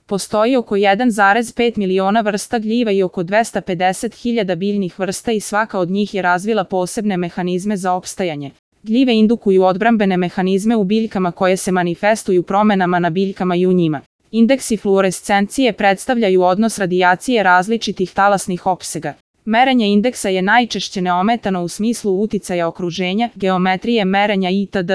Postoji oko 1,5 miliona vrsta gljiva i oko 250.000 biljnih vrsta i svaka od njih je razvila posebne mehanizme za opstajanje. Gljive indukuju odbrambene mehanizme u biljkama koje se manifestuju promenama na biljkama i u njima. Indeksi fluorescencije predstavljaju odnos radijacije različitih talasnih opsega. Merenje indeksa je najčešće neometano u smislu uticaja okruženja, geometrije merenja itd.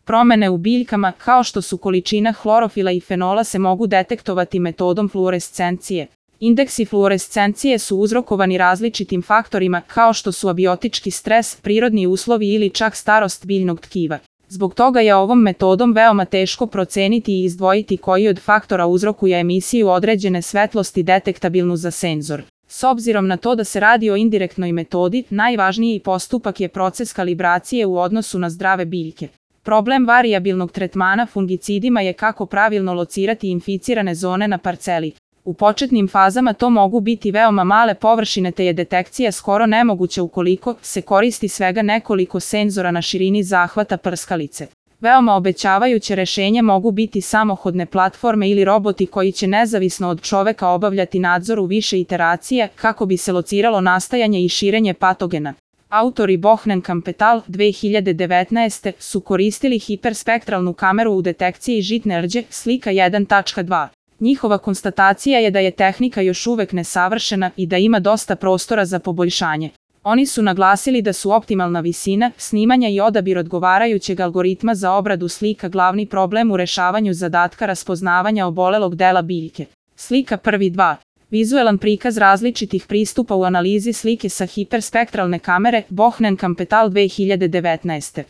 Promene u biljkama, kao što su količina hlorofila i fenola, se mogu detektovati metodom fluorescencije. Indeksi fluorescencije su uzrokovani različitim faktorima, kao što su abiotički stres, prirodni uslovi ili čak starost biljnog tkiva. Zbog toga je ovom metodom veoma teško proceniti i izdvojiti koji od faktora uzrokuje emisiju određene svetlosti detektabilnu za senzor. S obzirom na to da se radi o indirektnoj metodi, najvažniji postupak je proces kalibracije u odnosu na zdrave biljke. Problem varijabilnog tretmana fungicidima je kako pravilno locirati inficirane zone na parceli. U početnim fazama to mogu biti veoma male površine te je detekcija skoro nemoguća ukoliko se koristi svega nekoliko senzora na širini zahvata prskalice. Veoma obećavajuće rešenje mogu biti samohodne platforme ili roboti koji će nezavisno od čoveka obavljati nadzor u više iteracija kako bi se lociralo nastajanje i širenje patogena. Autori Bohnen-Kampetal 2019. su koristili hiperspektralnu kameru u detekciji žitne rđe, slika 1.2. Njihova konstatacija je da je tehnika još uvek nesavršena i da ima dosta prostora za poboljšanje. Oni su naglasili da su optimalna visina, snimanja i odabir odgovarajućeg algoritma za obradu slika glavni problem u rešavanju zadatka raspoznavanja obolelog dela biljke. Slika 1.2. Vizuelan prikaz različitih pristupa u analizi slike sa hiperspektralne kamere, Bohnen-Kampetal 2019.